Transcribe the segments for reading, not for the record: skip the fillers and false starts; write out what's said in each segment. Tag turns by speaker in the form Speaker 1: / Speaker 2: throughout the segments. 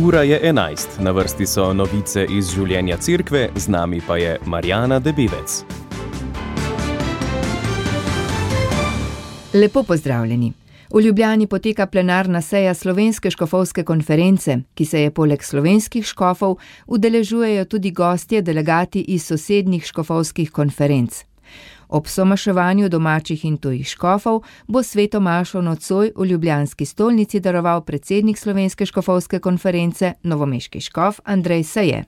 Speaker 1: Ura je 11, na vrsti so novice iz življenja cerkve, z nami pa je Marjana Debevec.
Speaker 2: Lepo pozdravljeni. V Ljubljani poteka plenarna seja Slovenske škofovske konference, ki se je poleg slovenskih škofov udeležujejo tudi gostje, delegati iz sosednjih škofovskih konferenc. Ob somaševanju domačih in tujih škofov bo sveto mašo nocoj v ljubljanski stolnici daroval predsednik Slovenske škofovske konference, novomeški škof Andrej Saje.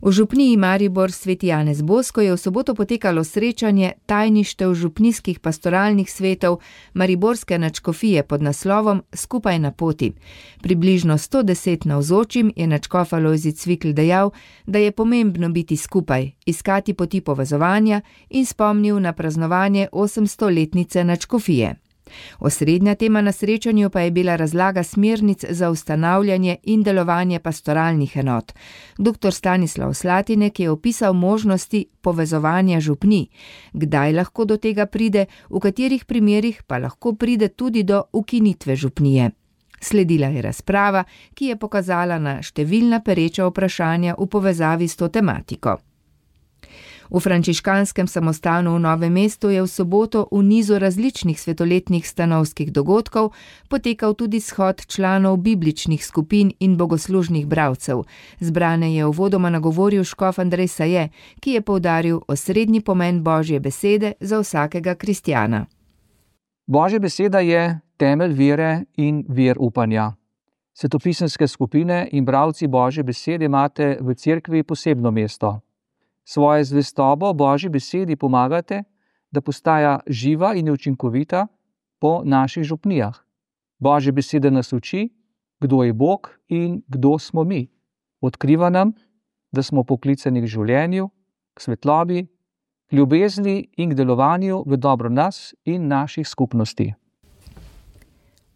Speaker 2: V župniji Maribor Sveti Janez Bosko je v soboto potekalo srečanje tajništev župnijskih pastoralnih svetov mariborske nadškofije pod naslovom Skupaj na poti. Približno 110 navzočim je nadškof Alojzij Cvikl dejal, da je pomembno biti skupaj, iskati poti povezovanja in spomnil na praznovanje 800-letnice nadškofije. Osrednja tema na srečanju pa je bila razlaga smernic za ustanavljanje in delovanje pastoralnih enot. Dr. Stanislav Slatinek je opisal možnosti povezovanja župnij, kdaj lahko do tega pride, v katerih primerih pa lahko pride tudi do ukinitve župnije. Sledila je razprava, ki je pokazala na številna pereča vprašanja v povezavi s to tematiko. V frančiškanskem samostanu v Novem mestu je v soboto v nizu različnih svetoletnih stanovskih dogodkov potekal tudi shod članov bibličnih skupin in bogoslužnih bralcev. Zbrane je uvodoma nagovoril škof Andrej Saje, ki je poudaril osrednji pomen Božje besede za vsakega kristjana.
Speaker 3: Božja beseda je temelj vere in vir upanja. Svetopisemske skupine in bralci Božje besede imate v cerkvi posebno mesto. Svoje zvestobo Božji besedi pomagate, da postaja živa in učinkovita po naših župnijah. Božja beseda nas uči, kdo je Bog in kdo smo mi. Odkriva nam, da smo poklicani k življenju, k svetlobi, k ljubezni in k delovanju v dobro nas in naših skupnosti.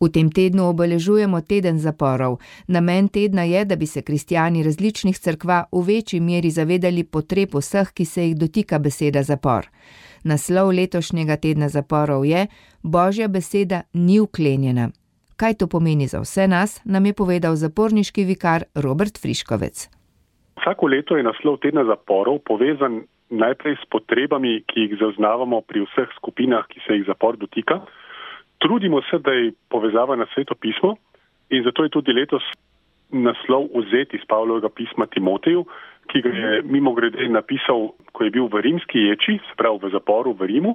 Speaker 2: V tem tednu obeležujemo teden zaporov. Namen tedna je, da bi se kristjani različnih cerkva v večji meri zavedali potreb vseh, ki se jih dotika beseda zapor. Naslov letošnjega tedna zaporov je Božja beseda ni vklenjena. Kaj to pomeni za vse nas, nam je povedal zaporniški vikar Robert Friškovec.
Speaker 4: Vsako leto je naslov tedna zaporov povezan najprej s potrebami, ki jih zaznavamo pri vseh skupinah, ki se jih zapor dotika. Trudimo se, da je povezava na Sveto pismo in zato je tudi letos naslov vzet iz Pavlovega pisma Timoteju, ki ga je mimogrede napisal, ko je bil v rimski ječi, se pravi v zaporu v Rimu.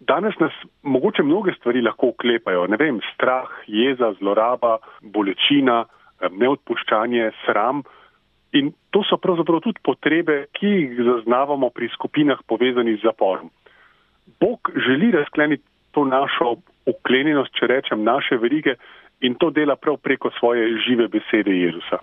Speaker 4: Danes nas mogoče mnoge stvari lahko uklepajo, strah, jeza, zloraba, bolečina, neodpuščanje, sram. In to so pravzaprav tudi potrebe, ki jih zaznavamo pri skupinah povezanih z zaporom. Bog želi razkleniti to našo uklenjenost, če rečem, naše verige in to dela prav preko svoje žive besede Jezusa.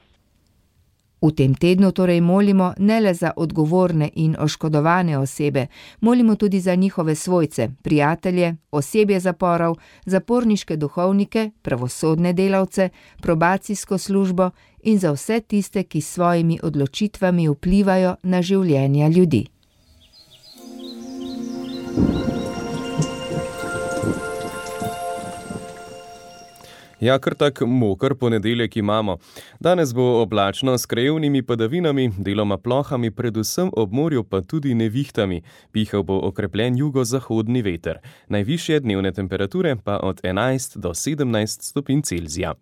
Speaker 2: V tem tednu torej molimo ne le za odgovorne in oškodovane osebe, molimo tudi za njihove svojce, prijatelje, osebje zaporov, zaporniške duhovnike, pravosodne delavce, probacijsko službo in za vse tiste, ki s svojimi odločitvami vplivajo na življenja ljudi.
Speaker 1: Ja, kar tak moker ponedeljek imamo. Danes bo oblačno s krajevnimi padavinami, deloma plohami, predvsem ob morju pa tudi nevihtami. Pihal bo okrepljen jugozahodni veter. Najvišje dnevne temperature pa od 11 do 17 stopinj Celzija.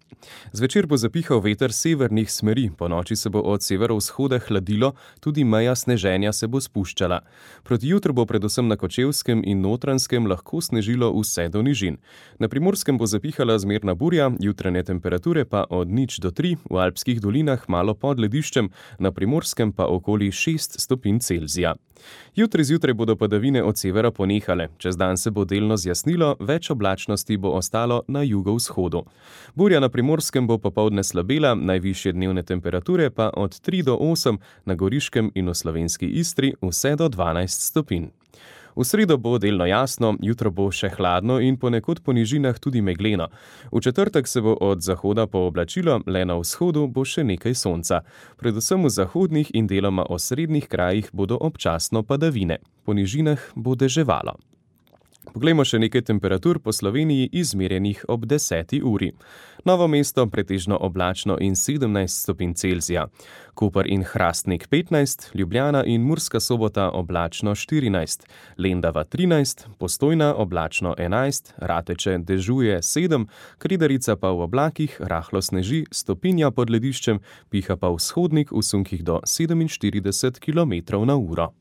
Speaker 1: Zvečer bo zapihal veter severnih smeri, ponoči se bo od severovzhoda hladilo, tudi meja sneženja se bo spuščala. Proti jutru bo predvsem na Kočevskem in Notranjskem lahko snežilo vse do nižin. Na Primorskem bo zapihala zmerna burja, jutranje temperature pa od 0 do 3, v alpskih dolinah malo pod lediščem, na Primorskem pa okoli 6 stopinj Celzija. Jutri zjutraj bodo padavine od severa ponehale, čez dan se bo delno zjasnilo, več oblačnosti bo ostalo na jugovzhodu. Burja na Primorskem bo popoldne slabela, najvišje dnevne temperature pa od 3 do 8, na Goriškem in v slovenski Istri vse do 12 stopinj. V sredo bo delno jasno, jutro bo še hladno in ponekod po nižinah tudi megleno. V četrtek se bo od zahoda pooblačilo, le na vzhodu bo še nekaj sonca. Predvsem v zahodnih in deloma osrednjih krajih bodo občasno padavine. Po nižinah bo deževalo. Poglejmo še nekaj temperatur po Sloveniji izmerjenih ob 10. uri. Novo Mesto pretežno oblačno in 17 stopinj Celzija. Koper in Hrastnik 15, Ljubljana in Murska Sobota oblačno 14, Lendava 13, Postojna oblačno 11, Rateče dežuje 7, Kredarica pa v oblakih, rahlo sneži, stopinja pod lediščem, piha pa vzhodnik v sunkih do 47 km/h.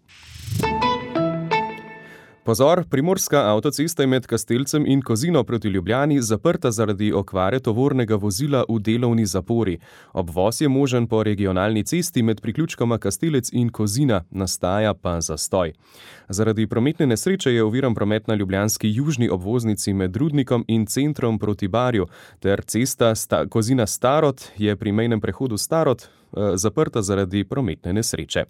Speaker 1: Pozor, primorska avtocesta je med Kastelcem in Kozino proti Ljubljani zaprta zaradi okvare tovornega vozila v delovni zapori. Obvoz je možen po regionalni cesti med priključkoma Kastelec in Kozina, nastaja pa zastoj. Zaradi prometne nesreče je oviran promet na ljubljanski južni obvoznici med Rudnikom in centrom proti Barju, ter cesta Kozina Starod je pri mejnem prehodu Starod zaprta zaradi prometne nesreče.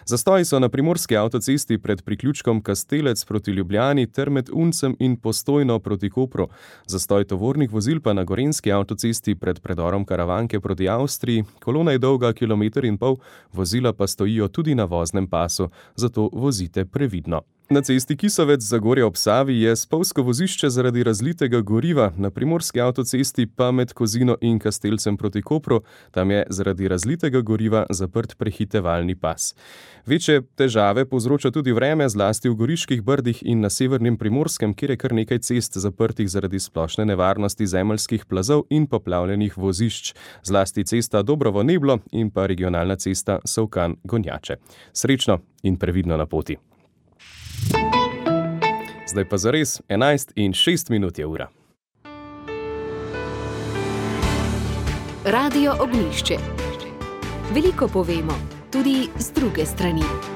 Speaker 1: Zastoji so na primorski avtocesti pred priključkom Kastelec proti Ljubljani ter med Uncem in Postojno proti Kopru. Zastoj tovornih vozil pa na gorenjski avtocesti pred predorom Karavanke proti Avstriji. Kolona je dolga 1,5 km, vozila pa stojijo tudi na voznem pasu, zato vozite previdno. Na cesti Kisovec-Zagorje ob Savi je spolzko vozišče zaradi razlitega goriva, na primorski avtocesti pa med Kozino in Kastelcem proti Kopru, tam je zaradi razlitega goriva zaprt prehitevalni pas. Večje težave povzroča tudi vreme, zlasti v Goriških Brdih in na severnem Primorskem, kjer je kar nekaj cest zaprtih zaradi splošne nevarnosti zemeljskih plazov in poplavljenih vozišč, zlasti cesta Dobrovo-Neblo in pa regionalna cesta Solkan-Gonjače. Srečno in previdno na poti. Zdaj pa zares 11:06 je ura.
Speaker 5: Radio Ognjišče. Veliko povemo, tudi z druge strani.